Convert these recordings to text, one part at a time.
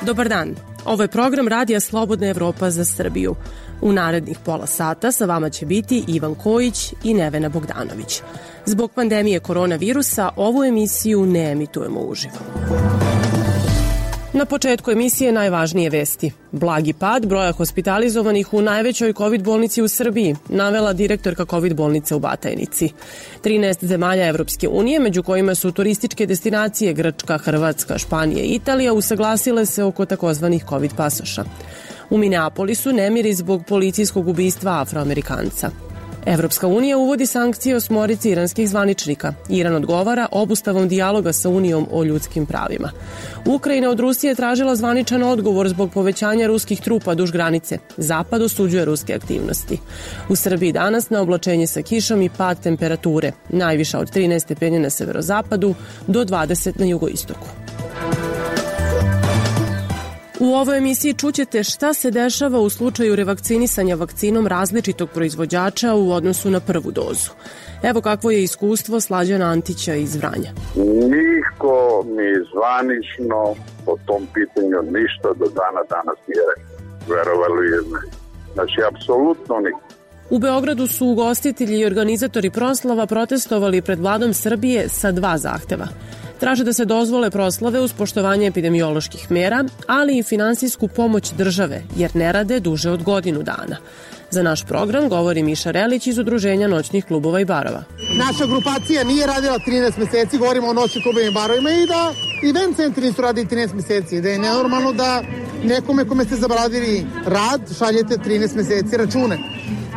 Dobar dan, ovo je program Radija Slobodna Evropa za Srbiju. U narednih pola sata sa vama će biti Ivan Kojić i Nevena Bogdanović. Zbog pandemije koronavirusa ovu emisiju ne emitujemo uživo. Na početku emisije najvažnije vesti. Blagi pad broja hospitalizovanih u najvećoj COVID bolnici u Srbiji, navela direktorka COVID bolnice u Batajnici. 13 zemalja Evropske unije, među kojima su turističke destinacije Grčka, Hrvatska, Španija i Italija, usaglasile se oko takozvanih COVID pasoša. U Minneapolisu nemiri zbog policijskog ubistva Afroamerikanca. Evropska unija uvodi sankcije osmorici iranskih zvaničnika. Iran odgovara obustavom dijaloga sa Unijom o ljudskim pravima. Ukrajina od Rusije tražila zvaničan odgovor zbog povećanja ruskih trupa duž granice. Zapad osuđuje ruske aktivnosti. U Srbiji danas na oblačenje sa kišom i pad temperature. Najviša od 13 stepeni na severozapadu do 20 na jugoistoku. U ovoj emisiji čućete šta se dešava u slučaju revakcinisanja vakcinom različitog proizvođača u odnosu na prvu dozu. Evo kakvo je iskustvo Slađana Antića iz Vranja. Niko ni zvanično po tom pitanju ništa do dana danas nije rekao. Verovali ili ne. Znači, apsolutno niko. U Beogradu su ugostitelji i organizatori proslava protestovali pred vladom Srbije sa dva zahteva. Traže da se dozvole proslave uz poštovanje epidemioloških mera, ali i finansijsku pomoć države, jer ne rade duže od godinu dana. Za naš program govori Miša Relić iz Udruženja noćnih klubova i barova. Naša grupacija nije radila 13 meseci, govorimo o noćnim klubovima i barovima, i da event centri nisu radili 13 meseci, da je nenormalno da nekome kome ste zabradili rad šaljete 13 meseci račune.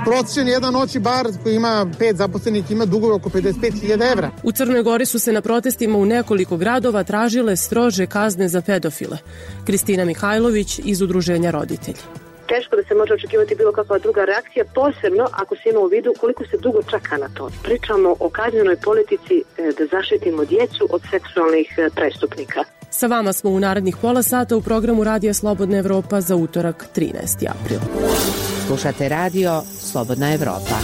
Prosječan jedan noćni bar koji ima 5 zaposlenih ima dugove oko 55.000 evra. U Crnoj Gori su se na protestima u nekoliko gradova tražile strože kazne za pedofile. Kristina Mihajlović iz Udruženja Roditelji. Teško da se može očekivati bilo kakva druga reakcija, posebno ako se ima u vidu koliko se dugo čeka na to. Pričamo o kaznenoj politici da zaštitimo djecu od seksualnih prestupnika. Sa vama smo u narednih pola sata u programu Radija Slobodna Evropa za utorak 13. april. Slušate radio Slobodna Evropa.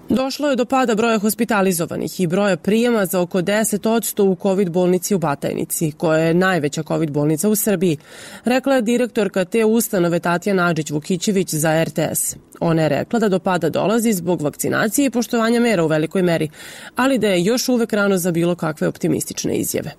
Došlo je do pada broja hospitalizovanih i broja prijema za oko 10% u COVID bolnici u Batajnici, koja je najveća COVID bolnica u Srbiji, rekla je direktorka te ustanove Tatjana Adžić-Vukićević za RTS. Ona je rekla da do pada dolazi zbog vakcinacije i poštovanja mera u velikoj meri, ali da je još uvek rano za bilo kakve optimistične izjave.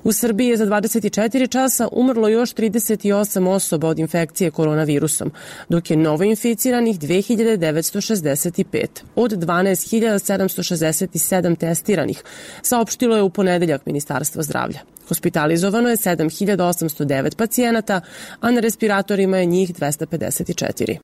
U Srbiji je za 24 časa umrlo još 38 osoba od infekcije koronavirusom, dok je novoinficiranih 2965 od 12.767 testiranih, saopštilo je u ponedeljak Ministarstvo zdravlja. Hospitalizovano je 7.809 pacijenata, a na respiratorima je njih 254.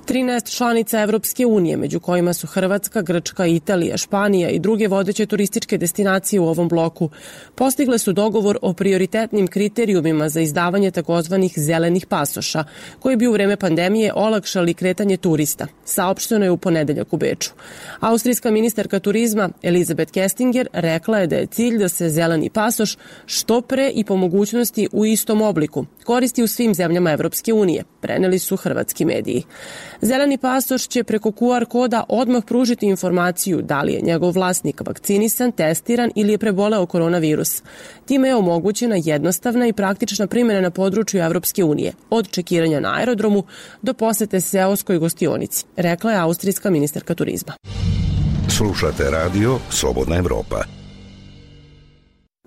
13 članica Evropske unije, među kojima su Hrvatska, Grčka, Italija, Španija i druge vodeće turističke destinacije u ovom bloku, postigle su dogovor o prioritetnim kriterijumima za izdavanje takozvanih zelenih pasoša, koji bi u vreme pandemije olakšali kretanje turista, saopšteno je u ponedeljak u Beču. Austrijska ministarka turizma Elizabeth Kestinger rekla je da je cilj da se zeleni pasoš što pre i po mogućnosti u istom obliku koristi u svim zemljama Evropske unije, preneli su hrvatski mediji. Zeleni pasoš će preko QR koda odmah pružiti informaciju da li je njegov vlasnik vakcinisan, testiran ili je preboleo koronavirus. Time je omogućena jednostavna i praktična primjena na području Evropske unije, od čekiranja na aerodromu do posete seoskoj gostionici, rekla je austrijska ministarka turizma. Slušate radio Slobodna Evropa.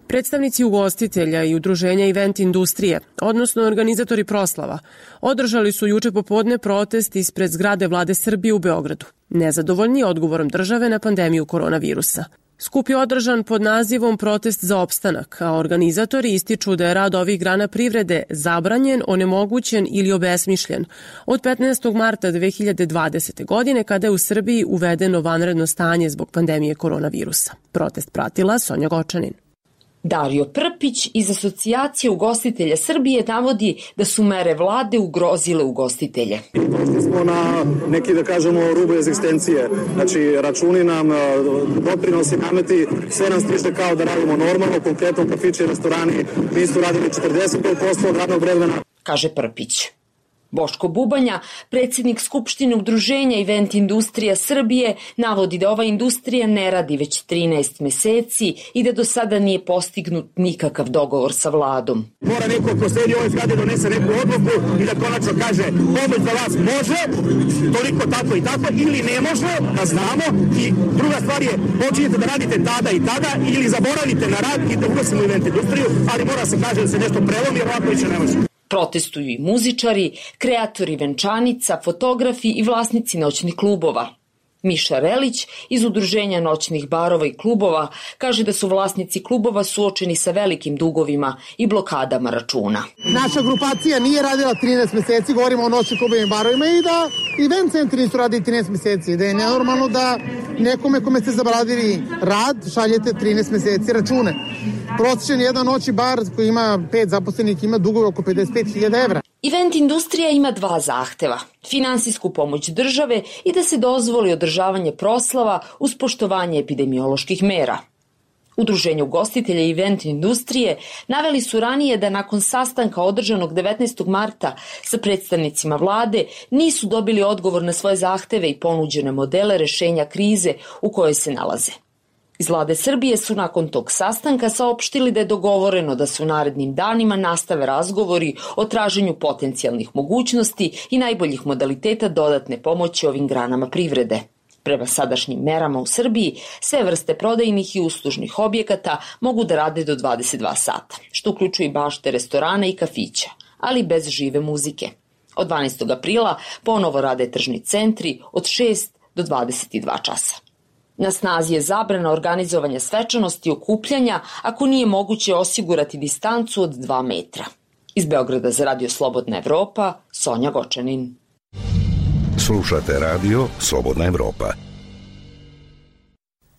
Predstavnici ugostitelja i udruženja event industrije, odnosno organizatori proslava, održali su juče popodne protest ispred zgrade vlade Srbije u Beogradu, nezadovoljni odgovorom države na pandemiju koronavirusa. Skup je održan pod nazivom Protest za opstanak, a organizatori ističu da je rad ovih grana privrede zabranjen, onemogućen ili obesmišljen od 15. marta 2020. godine kada je u Srbiji uvedeno vanredno stanje zbog pandemije koronavirusa. Protest pratila Sonja Gočanin. Dario Prpić iz Asocijacije ugostitelja Srbije navodi da su mere vlade ugrozile ugostitelje. Došli smo na neki, da kažemo, rubu egzistencije. Znači, računi nam, doprinosi, nameti, sve nam stiže kao da radimo normalno, konkretno kafići i restorani nisu radili 45% od radnog vremena. Kaže Prpić. Boško Bubanja, predsjednik Skupštine Udruženja Event Industrija Srbije, navodi da ova industrija ne radi već 13 meseci i da do sada nije postignut nikakav dogovor sa vladom. Mora neko ko sedi u ovoj zgradi donese neku odluku i da konačno kaže pomoć za vas može, toliko tako i tako, ili ne može, da znamo. I druga stvar je, počinjete da radite tada i tada ili zaboravite na rad i da ugasimo event industriju, ali mora se kaže da se nešto prelomi, jer ovako više ne može. Protestuju i muzičari, kreatori venčanica, fotografi i vlasnici noćnih klubova. Miša Relić iz Udruženja noćnih barova i klubova kaže da su vlasnici klubova suočeni sa velikim dugovima i blokadama računa. Naša grupacija nije radila 13 meseci, govorimo o noćnim klubovima i barovima, i da event centri nisu radili 13 meseci, da je nenormalno da nekome kome ste zabradili rad šaljete 13 meseci račune. Prosječan jedan noćni bar koji ima 5 zaposlenih ima dugove oko 55.000 evra. Event industrija ima 2 zahteva, finansijsku pomoć države i da se dozvoli održavanje proslava uz poštovanje epidemioloških mera. Udruženje ugostitelja i event industrije naveli su ranije da nakon sastanka održanog 19. marta sa predstavnicima vlade nisu dobili odgovor na svoje zahteve i ponuđene modele rešenja krize u kojoj se nalaze. Iz vlade Srbije su nakon tog sastanka saopštili da je dogovoreno da se u narednim danima nastave razgovori o traženju potencijalnih mogućnosti i najboljih modaliteta dodatne pomoći ovim granama privrede. Prema sadašnjim merama u Srbiji, sve vrste prodajnih i uslužnih objekata mogu da rade do 22 sata, što uključuje i bašte restorana i kafića, ali bez žive muzike. Od 12. aprila ponovo rade tržni centri od 6 do 22 časa. Na snazi je zabrana organizovanja svečanosti i okupljanja ako nije moguće osigurati distancu od 2 metra. Iz Beograda za Radio Slobodna Evropa, Sonja Gočanin. Slušate radio Slobodna Evropa.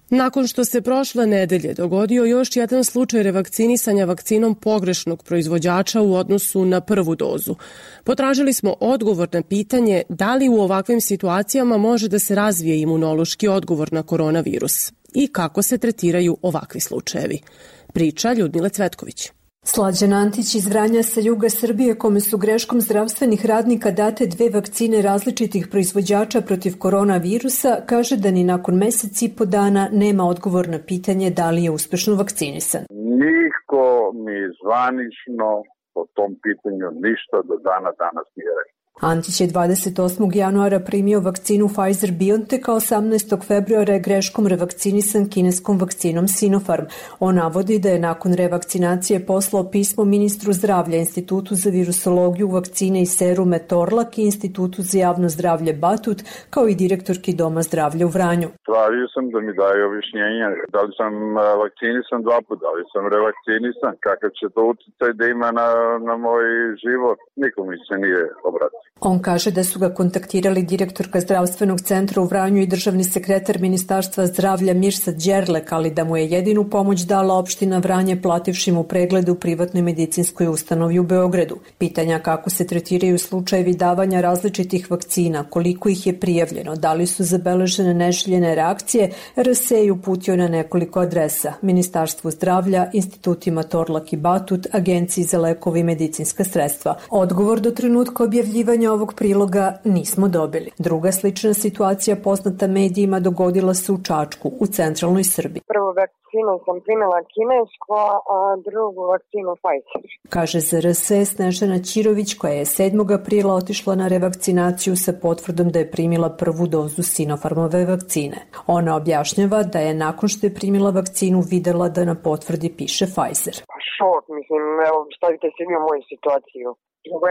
Nakon što se prošle nedelje dogodio još jedan slučaj revakcinisanja vakcinom pogrešnog proizvođača u odnosu na prvu dozu, potražili smo odgovor na pitanje da li u ovakvim situacijama može da se razvije imunološki odgovor na koronavirus i kako se tretiraju ovakvi slučajevi. Priča Ljudmile Cvetković. Slađan Antić iz Vranja sa juga Srbije, kome su greškom zdravstvenih radnika date 2 vakcine različitih proizvođača protiv koronavirusa, kaže da ni nakon mesec i po dana nema odgovor na pitanje da li je uspešno vakcinisan. Niko mi zvanično po tom pitanju ništa do dana danas nije rekao. Antić je 28. januara primio vakcinu Pfizer-BioNTech, a 18. februara je greškom revakcinisan kineskom vakcinom Sinopharm. On navodi da je nakon revakcinacije poslao pismo ministru zdravlja, Institutu za virusologiju, vakcine i serume Torlak i Institutu za javno zdravlje Batut, kao i direktorki Doma zdravlja u Vranju. Tražio sam da mi daje objašnjenja da li sam vakcinisan 2 puta, da li sam revakcinisan, kakav će to utjecaj da ima na moj život. Niko mi se nije obratio. On kaže da su ga kontaktirali direktorka zdravstvenog centra u Vranju i državni sekretar Ministarstva zdravlja Mirsad Đerlek, ali da mu je jedinu pomoć dala opština Vranje plativši mu pregled u privatnoj medicinskoj ustanovi u Beogradu. Pitanja kako se tretiraju slučajevi davanja različitih vakcina, koliko ih je prijavljeno, da li su zabeležene neželjene reakcije, RS je uputio na nekoliko adresa: Ministarstvu zdravlja, institutima Torlak i Batut, Agenciji za lekove i medicinska sredstva. Odgovor do trenutka objavljivanja ovog priloga nismo dobili. Druga slična situacija poznata medijima dogodila se u Čačku, u centralnoj Srbiji. Prvu vakcinu sam primila kinesku, a drugu vakcinu Pfizer. Kaže za RS Snežana Ćirović, koja je 7. aprila otišla na revakcinaciju sa potvrdom da je primila prvu dozu Sinopharmove vakcine. Ona objašnjava da je nakon što je primila vakcinu videla da na potvrdi piše Pfizer. Šok, mislim, evo, stavite se mi u moju situaciju.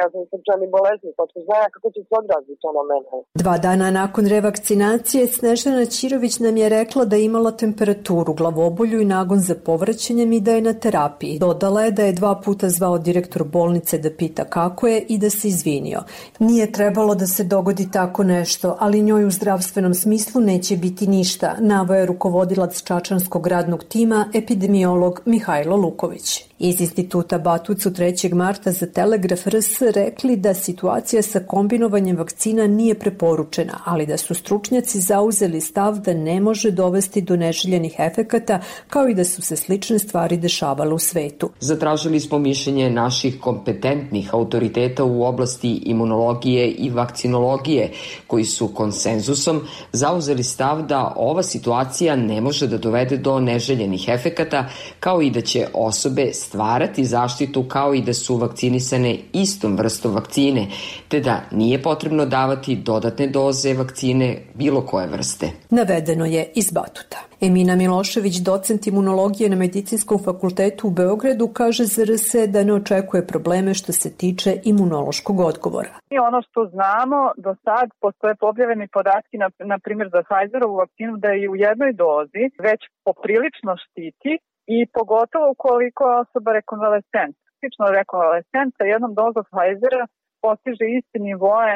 Ja sam srčani bolesnik, pa znaja kako će se odraziti to na mene. 2 dana nakon revakcinacije Snežana Ćirović nam je rekla da je imala temperaturu, glavobolju i nagon za povraćanjem i da je na terapiji. Dodala je da je 2 puta zvao direktor bolnice da pita kako je i da se izvinio. Nije trebalo da se dogodi tako nešto, ali njoj u zdravstvenom smislu neće biti ništa, naveo je rukovodilac čačanskog radnog tima, epidemiolog Mihajlo Luković. Iz instituta Batut su 3. marta za Telegraf RS RS rekli da situacija sa kombinovanjem vakcina nije preporučena, ali da su stručnjaci zauzeli stav da ne može dovesti do neželjenih efekata, kao i da su se slične stvari dešavale u svetu. Zatražili smo mišljenje naših kompetentnih autoriteta u oblasti imunologije i vakcinologije, koji su konsenzusom zauzeli stav da ova situacija ne može da dovede do neželjenih efekata, kao i da će osobe stvarati zaštitu kao i da su vakcinisane istom vrstom vakcine, te da nije potrebno davati dodatne doze vakcine bilo koje vrste. Navedeno je iz Batuta. Emina Milošević, docent imunologije na Medicinskom fakultetu u Beogradu, kaže za RS da ne očekuje probleme što se tiče imunološkog odgovora. I ono što znamo, do sad postoje objavljeni podatki, na primjer za Pfizerovu vakcinu, da je u jednoj dozi već poprilično štiti i pogotovo ukoliko je osoba rekonvalescent. Tipično rekonvalescent sa jednom dozom Pfizera postiže isti nivoe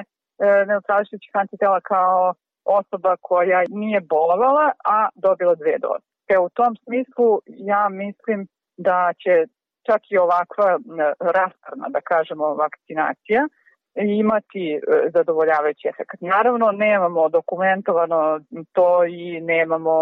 neutrališućih antitela kao osoba koja nije bolovala, a dobila 2 doze. U tom smislu ja mislim da će čak i ovakva raspravna, da kažemo, vakcinacija imati zadovoljavajući efekt. Naravno, nemamo dokumentovano to i nemamo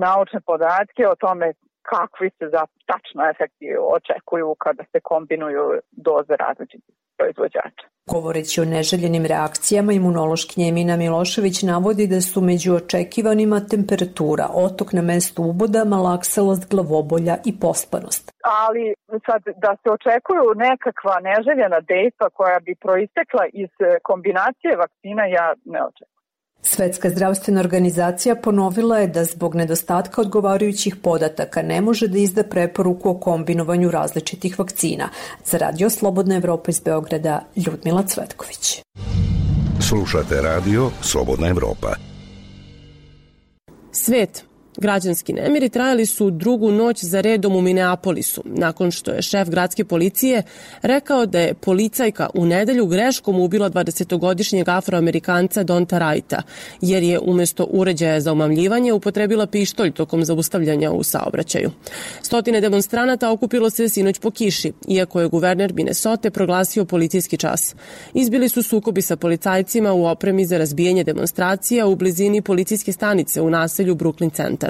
naučne podatke o tome kakvi se tačno efekti očekuju kada se kombinuju doze različitih proizvođača. Govoreći o neželjenim reakcijama, imunološkinja Emina Milošević navodi da su među očekivanima temperatura, otok na mestu uboda, malaksalost, glavobolja i pospanost. Ali sad da se očekuju nekakva neželjena dejstva koja bi proistekla iz kombinacije vakcina, ja ne očekujem. Svetska zdravstvena organizacija ponovila je da zbog nedostatka odgovarajućih podataka ne može da izda preporuku o kombinovanju različitih vakcina. Za Radio Slobodna Evropa iz Beograda, Ljudmila Cvetković. Slušate Radio Slobodna Evropa. Svet. Građanski nemiri trajali su drugu noć za redom u Minneapolisu, nakon što je šef gradske policije rekao da je policajka u nedelju greškom ubila 20-godišnjeg Afroamerikanca Donta Wrighta, jer je umesto uređaja za omamljivanje upotrebila pištolj tokom zaustavljanja u saobraćaju. Stotine demonstranata okupilo se sinoć po kiši, iako je guverner Minnesote proglasio policijski čas. Izbili su sukobi sa policajcima u opremi za razbijanje demonstracija u blizini policijske stanice u naselju Brooklyn Center.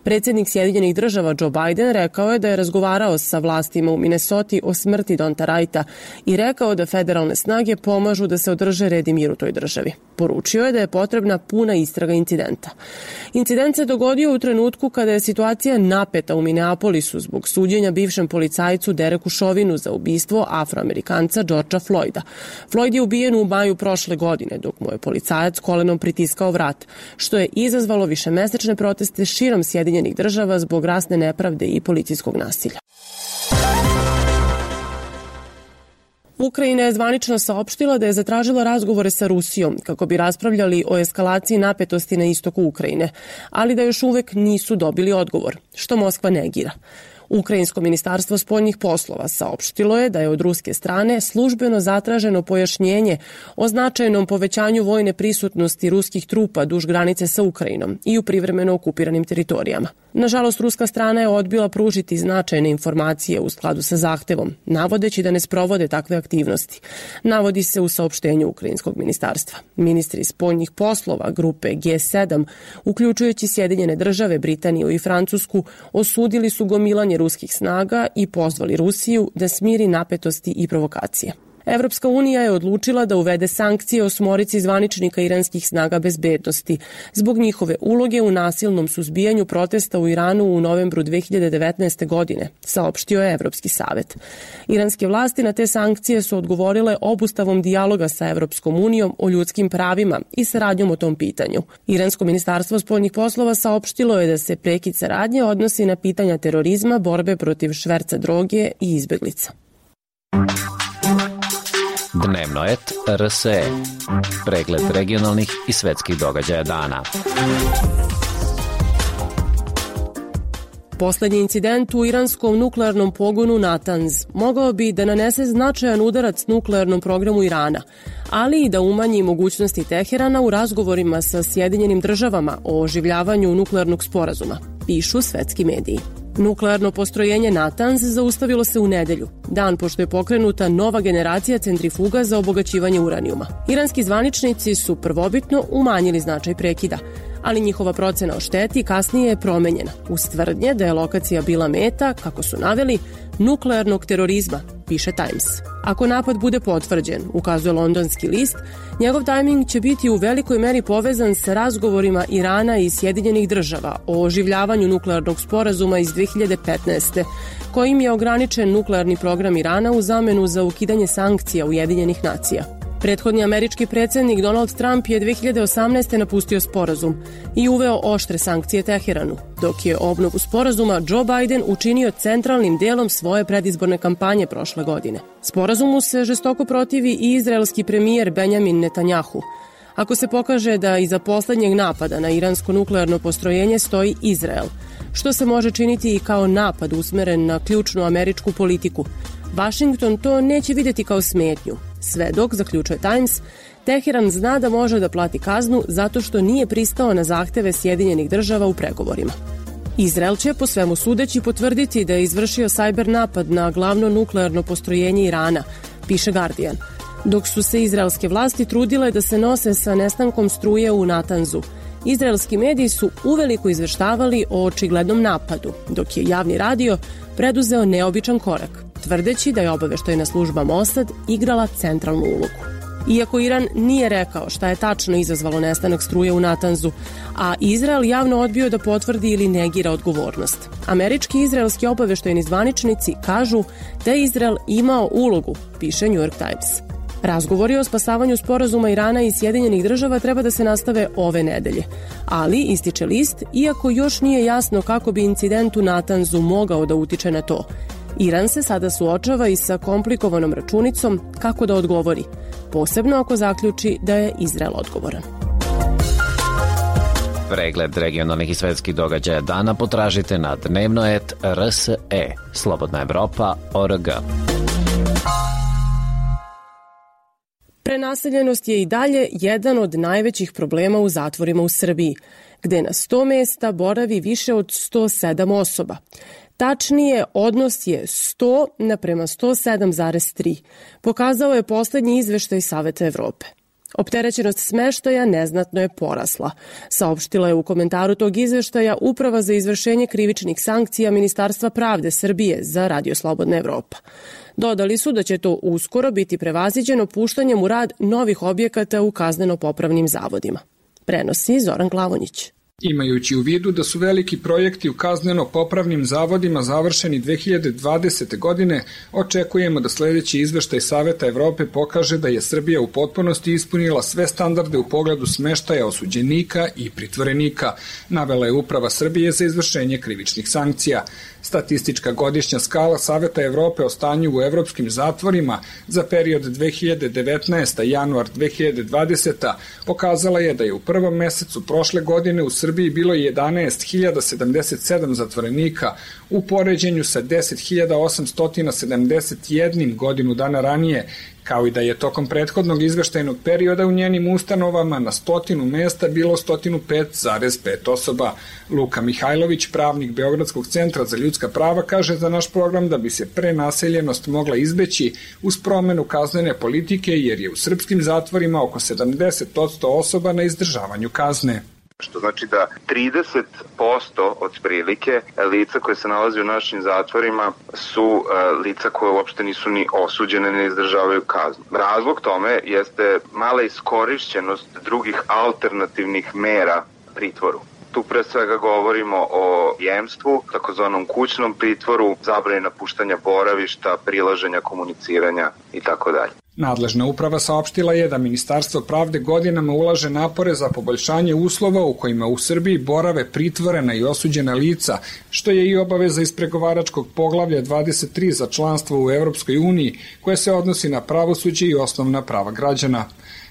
Predsjednik Sjedinjenih država Joe Biden rekao je da je razgovarao sa vlastima u Minnesoti o smrti Donta Wrighta i rekao da federalne snage pomažu da se održe red i mir u toj državi. Poručio je da je potrebna puna istraga incidenta. Incident se dogodio u trenutku kada je situacija napeta u Minneapolisu zbog suđenja bivšem policajcu Dereku Chauvinu za ubistvo Afroamerikanca Georgea Floyda. Floyd je ubijen u maju prošle godine, dok mu je policajac kolenom pritiskao vrat, što je izazvalo višemesečne proteste širom Sjedinjenih država zbog rasne nepravde i policijskog nasilja. Ukrajina je zvanično saopštila da je zatražila razgovore sa Rusijom kako bi raspravljali o eskalaciji napetosti na istoku Ukrajine, ali da još uvek nisu dobili odgovor, što Moskva negira. Ukrajinsko ministarstvo spoljnih poslova saopštilo je da je od ruske strane službeno zatraženo pojašnjenje o značajnom povećanju vojne prisutnosti ruskih trupa duž granice sa Ukrajinom i u privremeno okupiranim teritorijama. Nažalost, ruska strana je odbila pružiti značajne informacije u skladu sa zahtevom, navodeći da ne sprovode takve aktivnosti. Navodi se u saopštenju Ukrajinskog ministarstva. Ministri spoljnih poslova grupe G7, uključujući Sjedinjene države, Britaniju i Francusku, osudili su gomilanje ruskih snaga i pozvali Rusiju da smiri napetosti i provokacije. Evropska unija je odlučila da uvede sankcije 8 zvaničnika iranskih snaga bezbednosti zbog njihove uloge u nasilnom suzbijanju protesta u Iranu u novembru 2019. godine, saopštio je Evropski savet. Iranske vlasti na te sankcije su odgovorile obustavom dijaloga sa Evropskom unijom o ljudskim pravima i saradnjom o tom pitanju. Iransko ministarstvo spoljnih poslova saopštilo je da se prekid saradnje odnosi na pitanja terorizma, borbe protiv šverca droge i izbeglica. Dnevno et RSE. Pregled regionalnih i svetskih događaja dana. Poslednji incident u iranskom nuklearnom pogonu Natanz mogao bi da nanese značajan udarac nuklearnom programu Irana, ali i da umanji mogućnosti Teherana u razgovorima sa Sjedinjenim državama o oživljavanju nuklearnog sporazuma, pišu svetski mediji. Nuklearno postrojenje Natanz zaustavilo se u nedelju, dan pošto je pokrenuta nova generacija centrifuga za obogaćivanje uranijuma. Iranski zvaničnici su prvobitno umanjili značaj prekida, ali njihova procena o šteti kasnije je promenjena uz tvrdnje da je lokacija bila meta, kako su naveli, nuklearnog terorizma, piše Times. Ako napad bude potvrđen, ukazuje londonski list, njegov tajming će biti u velikoj meri povezan sa razgovorima Irana i Sjedinjenih država o oživljavanju nuklearnog sporazuma iz 2015. kojim je ograničen nuklearni program Irana u zamenu za ukidanje sankcija Ujedinjenih nacija. Prethodni američki predsjednik Donald Trump je 2018. napustio sporazum i uveo oštre sankcije Teheranu, dok je obnovu sporazuma Joe Biden učinio centralnim delom svoje predizborne kampanje prošle godine. Sporazumu se žestoko protivi i izraelski premijer Benjamin Netanjahu. Ako se pokaže da iza poslednjeg napada na iransko nuklearno postrojenje stoji Izrael, što se može činiti i kao napad usmeren na ključnu američku politiku, Washington to neće vidjeti kao smetnju. Sve dok, zaključuje Times, Teheran zna da može da plati kaznu zato što nije pristao na zahteve Sjedinjenih država u pregovorima. Izrael će, po svemu sudeći, potvrditi da je izvršio sajber napad na glavno nuklearno postrojenje Irana, piše Guardian, dok su se izraelske vlasti trudile da se nose sa nestankom struje u Natanzu. Izraelski mediji su uveliko izveštavali o očiglednom napadu, dok je javni radio preduzeo neobičan korak, tvrdeći da je obaveštajna služba Mossad igrala centralnu ulogu. Iako Iran nije rekao šta je tačno izazvalo nestanak struje u Natanzu, a Izrael javno odbio da potvrdi ili negira odgovornost. Američki i izraelski obaveštajni zvaničnici kažu da je Izrael imao ulogu, piše New York Times. Razgovori o spasavanju sporazuma Irana i Sjedinjenih država treba da se nastave ove nedelje. Ali, ističe list, iako još nije jasno kako bi incident u Natanzu mogao da utiče na to, Iran se sada suočava i sa komplikovanom računicom kako da odgovori, posebno ako zaključi da je Izrael odgovoran. Pregled regionalnih i svetskih događaja dana potražite na dnevno.rs.e, slobodnaevropa.org. Prenaseljenost je i dalje jedan od najvećih problema u zatvorima u Srbiji, gde na 100 mesta boravi više od 107 osoba. Tačnije, odnos je 100 naprema 107,3, pokazao je poslednji izveštaj Saveta Evrope. Opterećenost smeštaja neznatno je porasla, saopštila je u komentaru tog izveštaja Uprava za izvršenje krivičnih sankcija Ministarstva pravde Srbije za Radio Slobodna Evropa. Dodali su da će to uskoro biti prevaziđeno puštanjem u rad novih objekata u kazneno-popravnim zavodima. Prenosi Zoran Klavonjić. Imajući u vidu da su veliki projekti u kazneno-popravnim zavodima završeni 2020. godine, očekujemo da sledeći izveštaj Saveta Evrope pokaže da je Srbija u potpunosti ispunila sve standarde u pogledu smeštaja osuđenika i pritvorenika, navela je Uprava Srbije za izvršenje krivičnih sankcija. Statistička godišnja skala Saveta Evrope o stanju u evropskim zatvorima za period 2019. januar 2020. pokazala je da je u prvom mesecu prošle godine u Srbiji bilo 11.077 zatvorenika u poređenju sa 10.871 godinu dana ranije, kao i da je tokom prethodnog izveštajnog perioda u njenim ustanovama na 100 mesta bilo 105,5 osoba. Luka Mihajlović, pravnik Beogradskog centra za ljudska prava, kaže za naš program da bi se prenaseljenost mogla izbeći uz promenu kaznene politike, jer je u srpskim zatvorima oko 70% osoba na izdržavanju kazne. Što znači da 30% od prilike lica koje se nalazi u našim zatvorima su lica koje uopšte nisu ni osuđene, ne izdržavaju kaznu. Razlog tome jeste mala iskorišćenost drugih alternativnih mera pritvoru. Tu pre svega govorimo o jemstvu, takozvanom kućnom pritvoru, zabrani napuštanja boravišta, prilaženja, komuniciranja itd. Nadležna uprava saopštila je da Ministarstvo pravde godinama ulaže napore za poboljšanje uslova u kojima u Srbiji borave pritvorena i osuđena lica, što je i obaveza iz pregovaračkog poglavlja 23 za članstvo u Evropskoj uniji, koje se odnosi na pravosuđe i osnovna prava građana.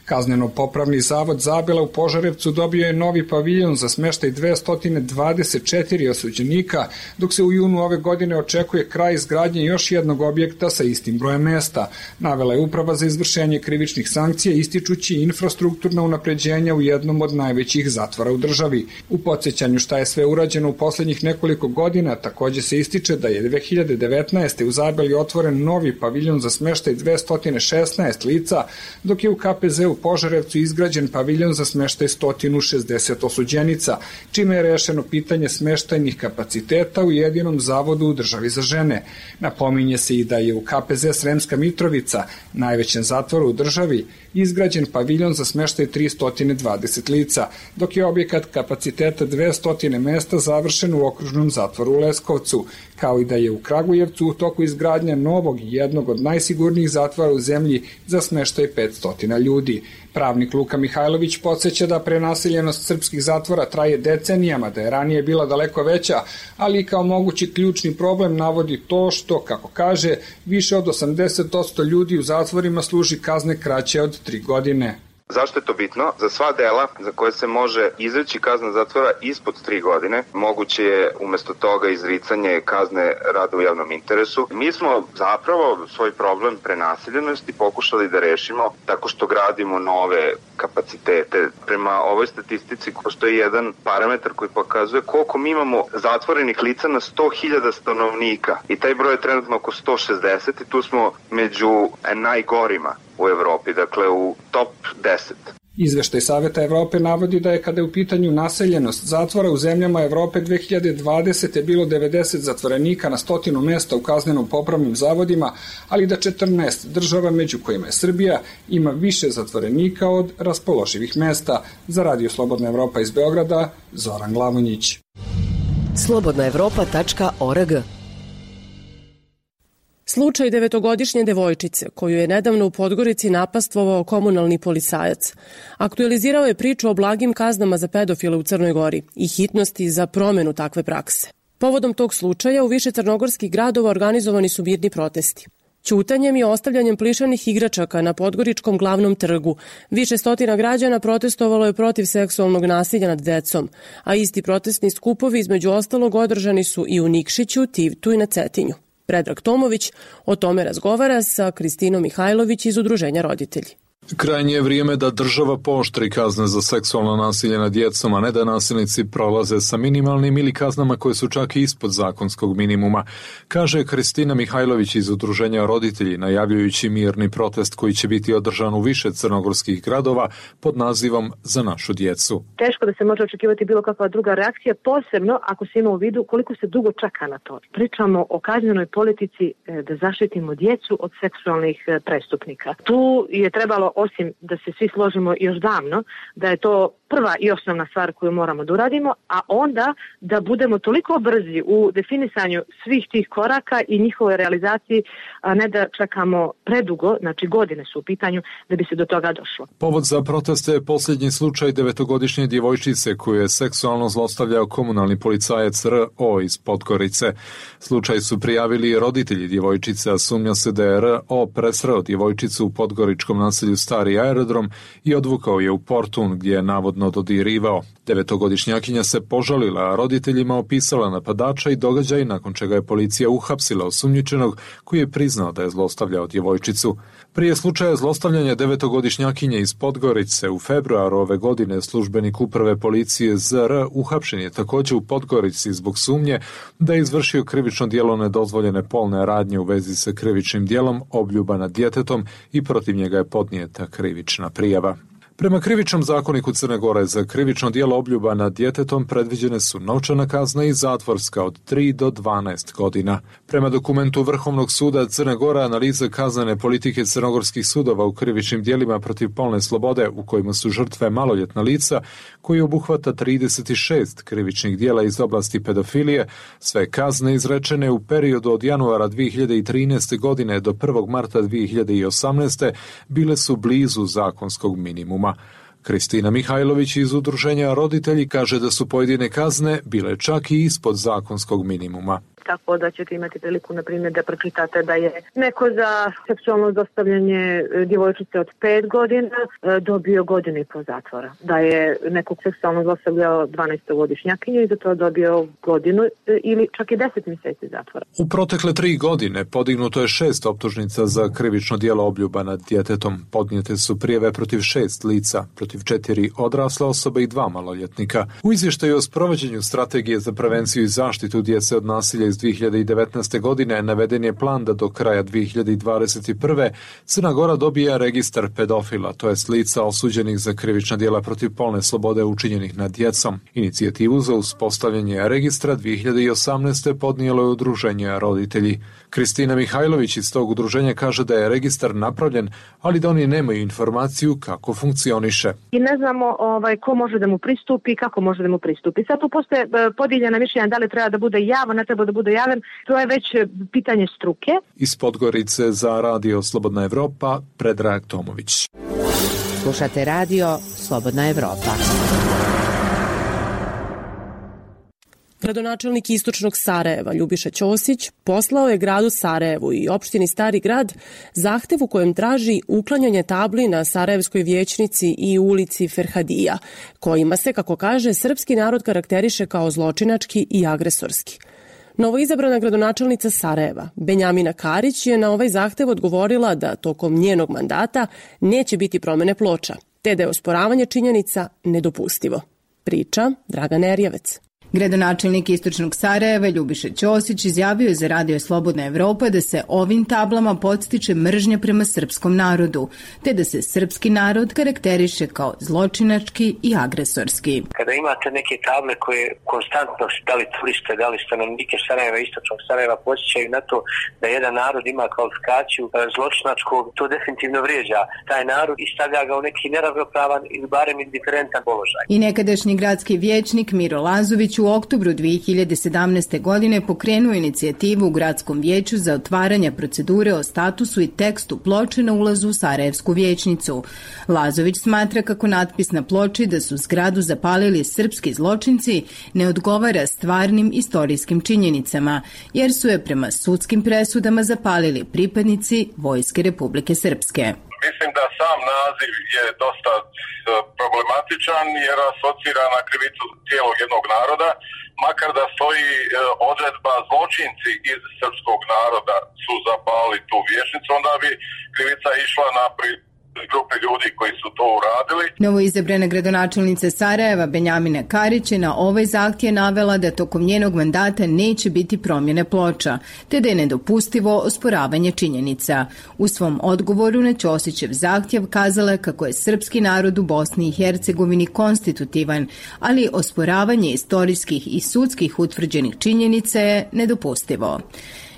Kazneno-popravni zavod Zabela u Požarevcu dobio je novi paviljon za smeštaj 224 osuđenika, dok se u junu ove godine očekuje kraj izgradnje još jednog objekta sa istim brojem mesta. Navela je Uprava za izvršenje krivičnih sankcija, ističući infrastrukturna unapređenja u jednom od najvećih zatvora u državi. U podsjećanju šta je sve urađeno u poslednjih nekoliko godina, takođe se ističe da je 2019. u Zabeli otvoren novi paviljon za smeštaj 216 lica, dok je u KPZ u Požarevcu izgrađen paviljon za smeštaj 160 osuđenica, čime je rešeno pitanje smeštajnih kapaciteta u jedinom zavodu u državi za žene. Napominje se i da je u KPZ Sremska Mitrovica, najvećem zatvoru u državi, izgrađen paviljon za smeštaj 320 lica, dok je objekat kapaciteta 200 mesta završen u okružnom zatvoru u Leskovcu, kao i da je u Kragujevcu u toku izgradnja novog i jednog od najsigurnijih zatvora u zemlji za smeštaj 500 ljudi. Pravnik Luka Mihajlović podsjeća da prenaseljenost srpskih zatvora traje decenijama, da je ranije bila daleko veća, ali kao mogući ključni problem navodi to što, kako kaže, više od 80% ljudi u zatvorima služi kazne kraće od 3 godine. Zašto je to bitno? Za sva dela za koje se može izreći kazna zatvora ispod 3 godine, moguće je umesto toga izricanje kazne rada u javnom interesu. Mi smo zapravo svoj problem prenaseljenosti pokušali da rešimo tako što gradimo nove kapacitete. Prema ovoj statistici postoji jedan parametar koji pokazuje koliko mi imamo zatvorenih lica na 100.000 stanovnika i taj broj je trenutno oko 160 i tu smo među najgorima u Evropi, dakle u top 10. Izveštaj Saveta Evrope navodi da je kada je u pitanju naseljenost zatvora u zemljama Evrope 2020. bilo 90 zatvorenika na 100 mesta u kazneno-popravnim zavodima, ali da 14 država, među kojima je Srbija, ima više zatvorenika od raspoloživih mesta. Za Radio Slobodna Evropa iz Beograda, Zoran Glavonjić. slobodnaevropa.org. Slučaj 9-godišnje devojčice, koju je nedavno u Podgorici napastvovao komunalni policajac, aktualizirao je priču o blagim kaznama za pedofile u Crnoj Gori i hitnosti za promenu takve prakse. Povodom tog slučaja u više crnogorskih gradova organizovani su mirni protesti. Ćutanjem i ostavljanjem plišanih igračaka na Podgoričkom glavnom trgu više stotina građana protestovalo je protiv seksualnog nasilja nad decom, a isti protestni skupovi između ostalog održani su i u Nikšiću, Tivtu i na Cetinju. Predrag Tomović o tome razgovara sa Kristinom Mihajlović iz Udruženja Roditelji. Krajnje je vrijeme da država pooštri kazne za seksualno nasilje nad djecom, a ne da nasilnici prolaze sa minimalnim ili kaznama koje su čak i ispod zakonskog minimuma, kaže Kristina Mihajlović iz Udruženja Roditelji, najavljujući mirni protest koji će biti održan u više crnogorskih gradova pod nazivom Za našu djecu. Teško da se može očekivati bilo kakva druga reakcija, posebno ako se ima u vidu koliko se dugo čeka na to. Pričamo o kaznenoj politici da zaštitimo djecu od seksualnih prestupnika. Tu je trebalo, osim da se svi složimo još davno, da je to prva i osnovna stvar koju moramo da uradimo, a onda da budemo toliko brzi u definisanju svih tih koraka i njihovoj realizaciji, a ne da čekamo predugo, znači godine su u pitanju, da bi se do toga došlo. Povod za proteste je posljednji slučaj 9-godišnje djevojčice koju je seksualno zlostavljao komunalni policajac R.O. iz Podgorice. Slučaj su prijavili roditelji djevojčice, a sumnja se da je R.O. presreo djevojčicu u podgoričkom naselju Stari aerodrom i odvukao je u Portun, gdje je navodno dodirivao. 9-godišnjakinja se požalila, a roditeljima opisala napadača i događaj, nakon čega je policija uhapsila osumnjičenog koji je priznao da je zlostavljao djevojčicu. Prije slučaja zlostavljanja 9-godišnjakinje iz Podgorice u februaru ove godine službenik uprave policije ZR uhapšen je također u Podgorici zbog sumnje da je izvršio krivično djelo nedozvoljene polne radnje u vezi sa krivičnim djelom obljuba nad djetetom i protiv njega je podnijeta krivična prijava. Prema krivičnom zakoniku Crne Gore za krivično djelo obljuba nad djetetom predviđene su novčana kazna i zatvorska od 3 do 12 godina. Prema dokumentu Vrhovnog suda Crne Gore analiza kaznene politike crnogorskih sudova u krivičnim djelima protiv polne slobode u kojima su žrtve maloljetna lica, koji obuhvata 36 krivičnih djela iz oblasti pedofilije, sve kazne izrečene u periodu od januara 2013. godine do 1. marta 2018. bile su blizu zakonskog minimuma. Kristina Mihajlović iz Udruženja Roditelji kaže da su pojedine kazne bile čak i ispod zakonskog minimuma. tako da ćete imati priliku, na primjer, da pročitate da je neko za seksualno zlostavljanje djevojčice od 5 godina dobio 1.5 godine zatvora. Da je nekog seksualno zlostavljao 12-godišnjakinju i za to dobio 1 godinu ili čak i 10 mjeseci zatvora. U protekle 3 godine podignuto je 6 optužnica za krivično djelo obljuba nad djetetom. Podnijete su prijave protiv 6 lica, protiv 4 odrasle osobe i 2 maloljetnika. U izvještaju o sprovođenju strategije za prevenciju i zaštitu djece od nasilja iz 2019. godine naveden je plan da do kraja 2021. Crna Gora dobija registar pedofila, to jest lica osuđenih za krivična djela protiv polne slobode učinjenih nad djecom. Inicijativu za uspostavljanje registra 2018. podnijelo je udruženje Roditelji. Kristina Mihajlović iz tog udruženja kaže da je registar napravljen, ali da oni nemaju informaciju kako funkcioniše. I ne znamo ko može da mu pristupi i kako može da mu pristupi. Sad tu postoje podijeljena mišljenja da li treba da bude javan, ne treba da bude javan. To je već pitanje struke. Iz Podgorice za Radio Slobodna Evropa, Predrag Tomović. Slušate Radio Slobodna Evropa. Gradonačelnik istočnog Sarajeva Ljubiša Ćosić poslao je gradu Sarajevu i opštini Stari grad zahtev u kojem traži uklanjanje tabli na Sarajevskoj vijećnici i ulici Ferhadija, kojima se, kako kaže, srpski narod karakteriše kao zločinački i agresorski. Novoizabrana gradonačelnica Sarajeva, Benjamina Karić, je na ovaj zahtev odgovorila da tokom njenog mandata neće biti promjene ploča, te da je osporavanje činjenica nedopustivo. Priča Dragan Erjevec. Gradonačelnik istočnog Sarajeva Ljubiša Ćosić izjavio je za Radio Slobodna Evropa da se ovim tablama podstiče mržnja prema srpskom narodu, te da se srpski narod karakteriše kao zločinački i agresorski. Kada imate neke table koje konstantno, da li turiste, da li stanovnike Sarajeva, istočnog Sarajeva, podsjećaju na to da jedan narod ima kvalifikaciju zločinačkog, to definitivno vrijeđa taj narod i stavlja ga u neki neravnopravan ili barem indiferentan položaj. I nekadašnji gradski vijećnik Miro Lazović u oktobru 2017. godine pokrenuo inicijativu u gradskom vijeću za otvaranje procedure o statusu i tekstu ploče na ulazu u Sarajevsku vijećnicu. Lazović smatra kako natpis na ploči da su zgradu zapalili srpski zločinci ne odgovara stvarnim istorijskim činjenicama, jer su je prema sudskim presudama zapalili pripadnici Vojske Republike Srpske. Mislim da sam naziv je dosta problematičan jer asocira na krivicu cijelog jednog naroda, makar da stoji odredba zločinci iz srpskog naroda su zapali tu vijećnicu, onda bi krivica išla na grupe ljudi koji su to uradili. Novoizabrana gradonačelnica Sarajeva Benjamina Karić je na ovaj zahtjev navela da tokom njenog mandata neće biti promjene ploča, te da je nedopustivo osporavanje činjenica. U svom odgovoru na Ćosićev zahtjev kazala kako je srpski narod u Bosni i Hercegovini konstitutivan, ali osporavanje istorijskih i sudskih utvrđenih činjenica je nedopustivo.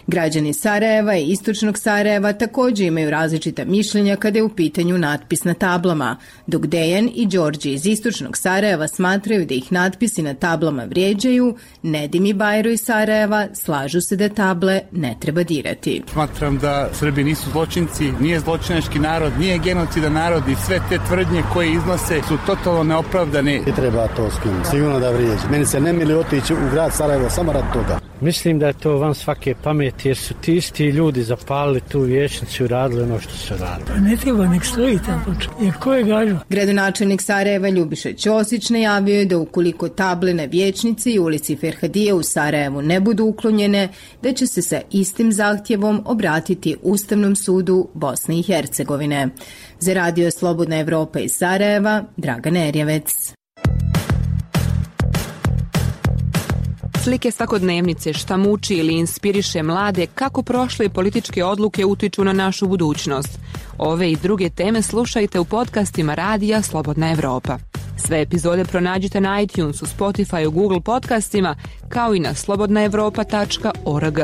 Građani Sarajeva i istočnog Sarajeva također imaju različita mišljenja kada je u pitanju natpis na tablama, dok Dejan i Đorđe iz istočnog Sarajeva smatraju da ih natpisi na tablama vrijeđaju, Nedim i Bajro iz Sarajeva slažu se da table ne treba dirati. Smatram da Srbi nisu zločinci, nije zločinački narod, nije genocidan narod i sve te tvrdnje koje iznose su totalno neopravdane. I treba to skinuti, sigurno da vrijeđe. Meni se ne mili otići u grad Sarajevo samo rad toga. Mislim da je to van svake pameti jer su ti isti ljudi zapalili tu vijećnicu i radili ono što su radili. Pa ne treba nek stoji tamo, jer ko je gažu? Gradonačelnik Sarajeva Ljubiša Ćosić najavio je da ukoliko table na vijećnici i ulici Ferhadije u Sarajevu ne budu uklonjene, da će se sa istim zahtjevom obratiti Ustavnom sudu Bosne i Hercegovine. Za Radio Slobodna Evropa iz Sarajeva, Dragan Erjevec. Slike svakodnevnice, šta muči ili inspiriše mlade, kako prošle političke odluke utiču na našu budućnost. Ove i druge teme slušajte u podcastima Radija Slobodna Evropa. Sve epizode pronađite na iTunesu, Spotify, Google podcastima, kao i na slobodnaevropa.org.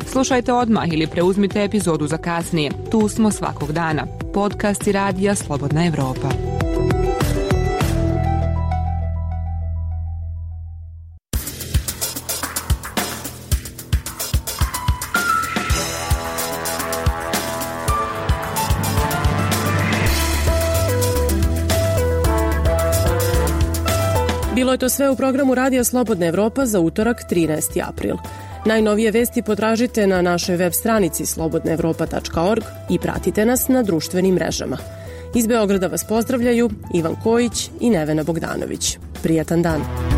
Slušajte odmah ili preuzmite epizodu za kasnije. Tu smo svakog dana. Podcasti Radija Slobodna Evropa. Bilo je to sve u programu Radija Slobodna Evropa za utorak 13. april. Najnovije vesti potražite na našoj web stranici slobodnaevropa.org i pratite nas na društvenim mrežama. Iz Beograda vas pozdravljaju Ivan Kojić i Nevena Bogdanović. Prijatan dan!